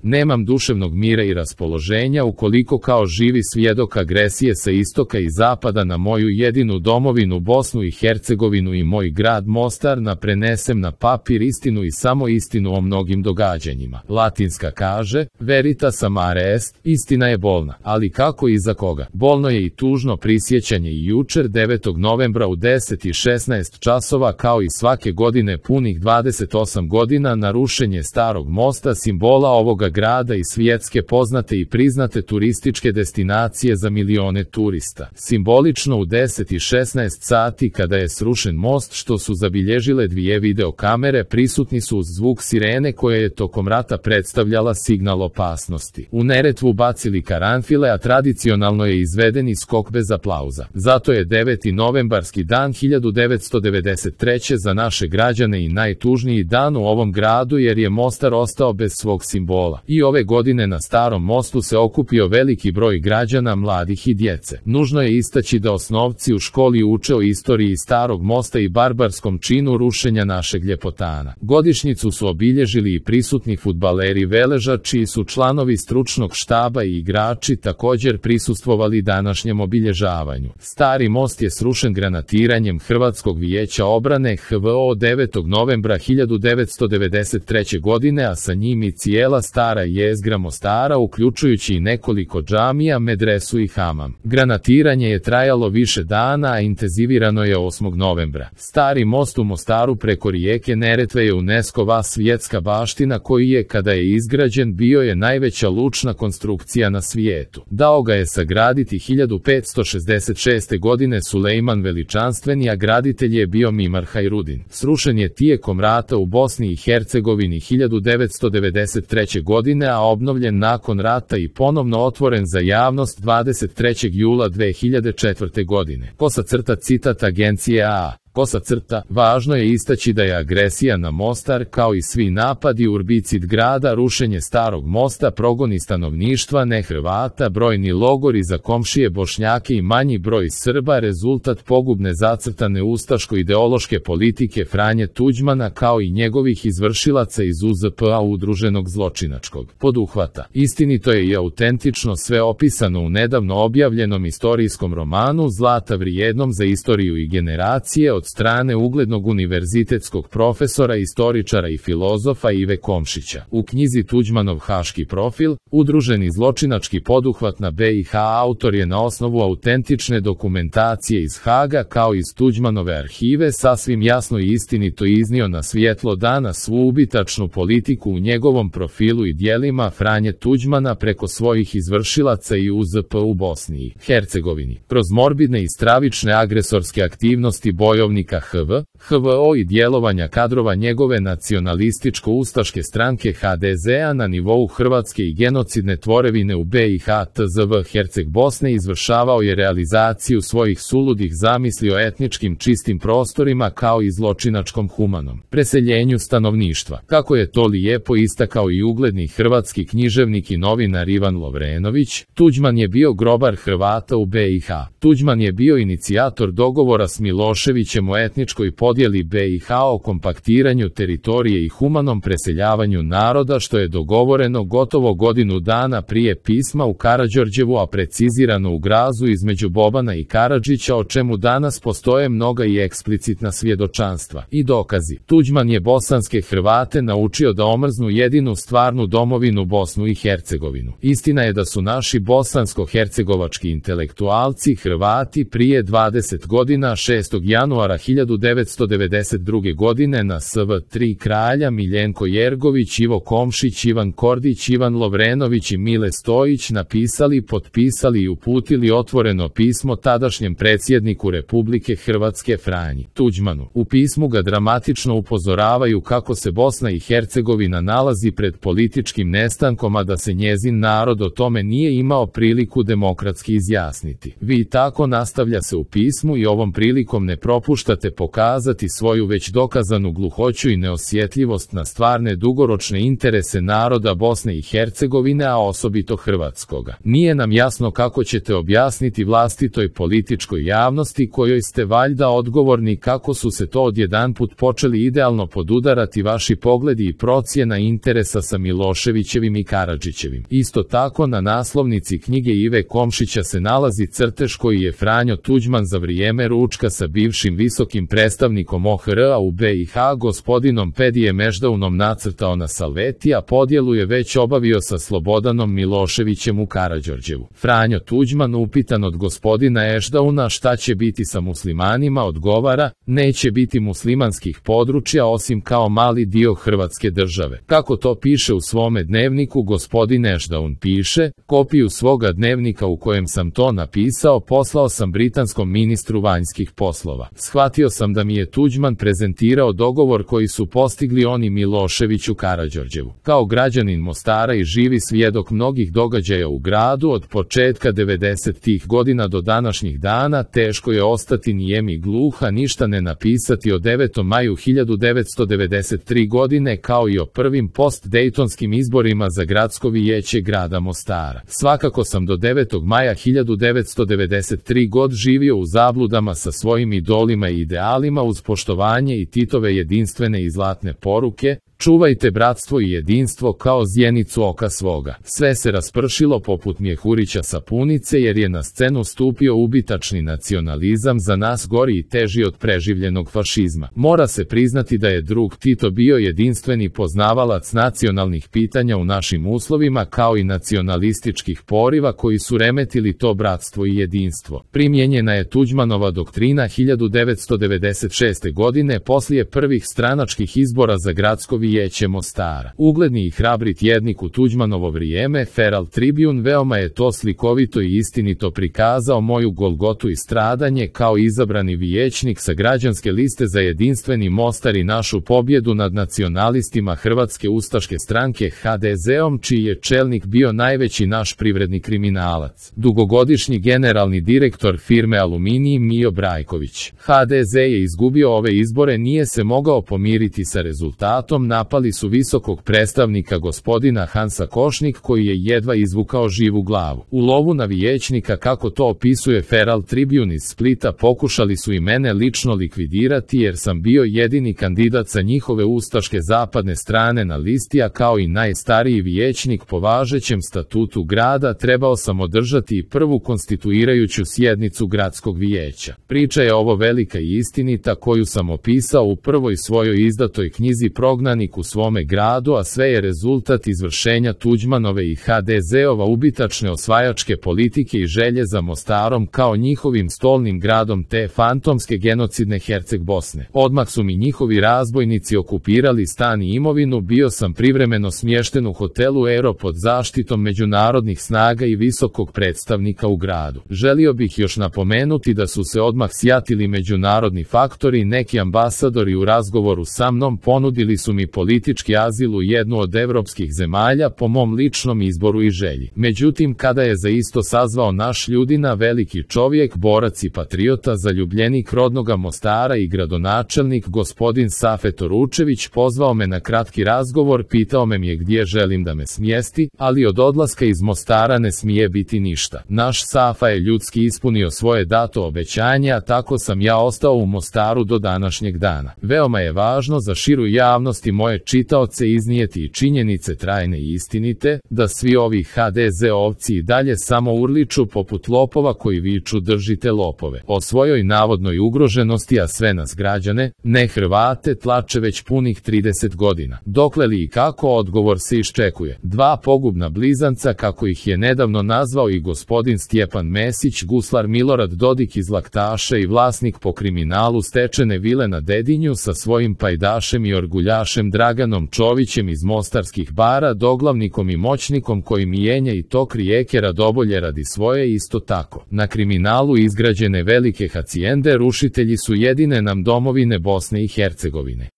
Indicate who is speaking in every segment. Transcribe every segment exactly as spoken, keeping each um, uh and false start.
Speaker 1: Nemam duševnog mira i raspoloženja ukoliko kao živi svjedok agresije sa istoka i zapada na moju jedinu domovinu Bosnu i Hercegovinu i moj grad Mostar na prenesem na papir istinu i samo istinu o mnogim događanjima. Latinska kaže, veritas amare est, istina je bolna, ali kako i za koga? Bolno je i tužno prisjećanje i jučer devetog novembra u deset i šesnaest časova kao i svake godine punih dvadeset osam godina na rušenje Starog mosta, simbola ovoga grada i svjetske poznate i priznate turističke destinacije za milione turista. Simbolično u deset i šesnaest sati kada je srušen most, što su zabilježile dvije videokamere, prisutni su uz zvuk sirene koja je tokom rata predstavljala signal opasnosti. U Neretvu bacili karanfile, a tradicionalno je izveden i skok bez aplauza. Zato je deveti novembarski dan hiljadu devetsto devedeset treće za naše građane i najtužniji dan u ovom gradu jer je Mostar ostao bez svog simbola. I ove godine na Starom mostu se okupio veliki broj građana, mladih i djece. Nužno je istaći da osnovci u školi uče o istoriji Starog mosta i barbarskom činu rušenja našeg ljepotana. Godišnjicu su obilježili i prisutni fudbaleri Veleža, čiji su članovi stručnog štaba i igrači također prisustvovali današnjem obilježavanju. Stari most je srušen granatiranjem Hrvatskog vijeća obrane H V O devetog novembra hiljadu devetsto devedeset treće godine, a sa njim i cijela stara jezgra Mostara, uključujući i nekoliko džamija, medresu i hamam. Granatiranje je trajalo više dana, a intenzivirano je osmog novembra. Stari most u Mostaru preko rijeke Neretve je UNESCO-va svjetska baština koji je, kada je izgrađen, bio je najveća lučna konstrukcija na svijetu. Dao ga je sagraditi hiljadu petsto šezdeset šeste. godine Sulejman Veličanstveni, a graditelj je bio Mimar Hajrudin. Srušen je tijekom rata u Bosni i Hercegovini hiljadu devetsto devedeset treće. godine, a obnovljen nakon rata i ponovno otvoren za javnost dvadeset trećeg jula dve hiljade četvrte. godine. Kosa crta citat agencije A A. Kosa crta, važno je istaći da je agresija na Mostar, kao i svi napadi, urbicid grada, rušenje Starog mosta, progoni stanovništva ne Hrvata, brojni logori za komšije Bošnjake i manji broj Srba, rezultat pogubne zacrtane ustaško-ideološke politike Franje Tuđmana kao i njegovih izvršilaca iz U Z P A udruženog zločinačkog poduhvata. Istinito je i autentično sve opisano u nedavno objavljenom istorijskom romanu Zlata vrijednom za istoriju i generacije od strane uglednog univerzitetskog profesora, istoričara i filozofa Ive Komšića. U knjizi Tuđmanov haški profil, udruženi zločinački poduhvat na B i H, autor je na osnovu autentične dokumentacije iz Haga kao iz Tuđmanove arhive sasvim jasno i istinito iznio na svjetlo dana svu ubitačnu politiku u njegovom profilu i djelima Franje Tuđmana preko svojih izvršilaca i U Z P u Bosni i Hercegovini. Kroz morbidne i stravične agresorske aktivnosti bojovnika H V, H V O i djelovanja kadrova njegove nacionalističko-ustaške stranke H D Z-a na nivou Hrvatske i genocidne tvorevine u B i H T Z V Herceg Bosne izvršavao je realizaciju svojih suludih zamisli o etničkim čistim prostorima kao i zločinačkom humanom preseljenju stanovništva. Kako je to lijepo istakao i ugledni hrvatski književnik i novinar Ivan Lovrenović, Tuđman je bio grobar Hrvata u B i H. Tuđman je bio inicijator dogovora s Miloševićem o etničkoj podjeli B i H, o kompaktiranju teritorije i humanom preseljavanju naroda, što je dogovoreno gotovo godinu dana prije pisma u Karađorđevu, a precizirano u Grazu između Bobana i Karadžića, o čemu danas postoje mnoga i eksplicitna svjedočanstva i dokazi. Tuđman je bosanske Hrvate naučio da omrznu jedinu stvarnu domovinu Bosnu i Hercegovinu. Istina je da su naši bosansko-hercegovački intelektualci Hrvati prije dvadeset godina šestog januara hiljadu devetsto devedeset druge. godine na S V tri kralja Miljenko Jergović, Ivo Komšić, Ivan Kordić, Ivan Lovrenović i Mile Stojić napisali, potpisali i uputili otvoreno pismo tadašnjem predsjedniku Republike Hrvatske Franji Tuđmanu. U pismu ga dramatično upozoravaju kako se Bosna i Hercegovina nalazi pred političkim nestankom, a da se njezin narod o tome nije imao priliku demokratski izjasniti. Vi tako nastavlja se u pismu i ovom prilikom ne propušta propuštate pokazati svoju već dokazanu gluhoću i neosjetljivost na stvarne dugoročne interese naroda Bosne i Hercegovine, a osobito hrvatskoga. Nije nam jasno kako ćete objasniti vlastitoj političkoj javnosti, kojoj ste valjda odgovorni, kako su se to odjedanput počeli idealno podudarati vaši pogledi i procjena interesa sa Miloševićevim i Karadžićevim. Isto tako na naslovnici knjige Ive Komšića se nalazi crtež koji je Franjo Tuđman za vrijeme ručka sa bivšim visokim predstavnikom O H R-a u B i H gospodinom Pedijem Eždaunom nacrtao na salveti, a podjelu je već obavio sa Slobodanom Miloševićem u Karađorđevu. Franjo Tuđman, upitan od gospodina Eždauna šta će biti sa muslimanima, odgovara: neće biti muslimanskih područja osim kao mali dio Hrvatske države. Kako to piše u svome dnevniku, gospodin Eždaun piše: kopiju svoga dnevnika u kojem sam to napisao poslao sam britanskom ministru vanjskih poslova. Shvatio sam da mi je Tuđman prezentirao dogovor koji su postigli oni Milošević u Karađorđevu. Kao građanin Mostara i živi svjedok mnogih događaja u gradu od početka devedesetih godina do današnjih dana, teško je ostati nijem i gluha, ništa ne napisati o devetom maju hiljadu devetsto devedeset treće. godine kao i o prvim post-dejtonskim izborima za gradsko vijeće grada Mostara. Svakako sam do devetog maja hiljadu devetsto devedeset treće. god živio u zabludama sa svojim idolima i idealima uz poštovanje i Titove jedinstvene i zlatne poruke: čuvajte bratstvo i jedinstvo kao zjenicu oka svoga. Sve se raspršilo poput mjehurića sapunice, jer je na scenu stupio ubitačni nacionalizam, za nas gori i teži od preživljenog fašizma. Mora se priznati da je drug Tito bio jedinstveni poznavalac nacionalnih pitanja u našim uslovima, kao i nacionalističkih poriva koji su remetili to bratstvo i jedinstvo. Primjenjena je Tuđmanova doktrina hiljadu devetsto devedeset šeste. godine poslije prvih stranačkih izbora za gradsko vijeće Mostara. Ugledni i hrabri tjednik u Tuđmanovo vrijeme, Feral Tribune, veoma je to slikovito i istinito prikazao moju golgotu i stradanje kao izabrani vijećnik sa građanske liste za jedinstveni Mostar i našu pobjedu nad nacionalistima Hrvatske ustaške stranke H D Z-om, čiji je čelnik bio najveći naš privredni kriminalac, dugogodišnji generalni direktor firme Aluminij Mijo Brajković. H D Z je izgubio ove izbore, nije se mogao pomiriti sa rezultatom, napali su visokog predstavnika gospodina Hansa Košnik, koji je jedva izvukao živu glavu. U lovu na vijećnika, kako to opisuje Feral Tribune iz Splita, pokušali su i mene lično likvidirati, jer sam bio jedini kandidat sa njihove ustaške zapadne strane na listi, a kao i najstariji vijećnik po važećem statutu grada trebao sam održati i prvu konstituirajuću sjednicu gradskog vijeća. Priča je ovo velika i istinita, koju sam opisao u prvoj svojoj izdatoj knjizi Prognanik u svome gradu, a sve je rezultat izvršenja Tuđmanove i H D Z-ova ubitačne osvajačke politike i želje za Mostarom kao njihovim stolnim gradom te fantomske genocidne Herceg Bosne. Odmah su mi njihovi razbojnici okupirali stan i imovinu, bio sam privremeno smješten u hotelu Ero pod zaštitom međunarodnih snaga i visokog predstavnika u gradu. Želio bih još napomenuti da su se odmah sjatili međunarodni faktori, neki ambasadori u razgovoru sa mnom ponudili su mi politički azil u jednu od evropskih zemalja po mom ličnom izboru i želji. Međutim, kada je za isto sazvao naš Ljudina, veliki čovjek, borac i patriota, zaljubljenik rodnoga Mostara i gradonačelnik gospodin Safet Oručević, pozvao me na kratki razgovor, pitao me je gdje želim da me smjesti, ali od odlaska iz Mostara ne smije biti ništa. Naš Safa je ljudski ispunio svoje dato obećanje, a tako sam ja ostao u Mostaru do današnjeg dana. Veoma je važno za širu javnost i moje čitaoce iznijeti i činjenice trajne i istinite, da svi ovi H D Z-ovci i dalje samo urliču poput lopova koji viču držite lopove. O svojoj navodnoj ugroženosti, a sve nas građane, ne Hrvate, tlače već punih trideset godina. Dokle li i kako, odgovor se iščekuje. Dva pogubna blizanca, kako ih je nedavno nazvao i gospodin Stjepan Mesić, guslar Milorad Dodik iz Laktaša i vlasnik po kriminalu stečene vile na Dedinju sa svojim pajdašem i orguljašem Draganom Čovićem iz mostarskih bara, doglavnikom i moćnikom koji mijenja i tok rijeke Radobolje radi svoje, isto tako. Na kriminalu izgrađene velike hacijende rušitelji su jedine nam domovine Bosne i Hercegovine.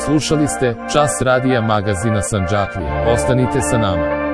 Speaker 1: Slušali ste Čas radija magazina Sandžaklija. Ostanite sa nama.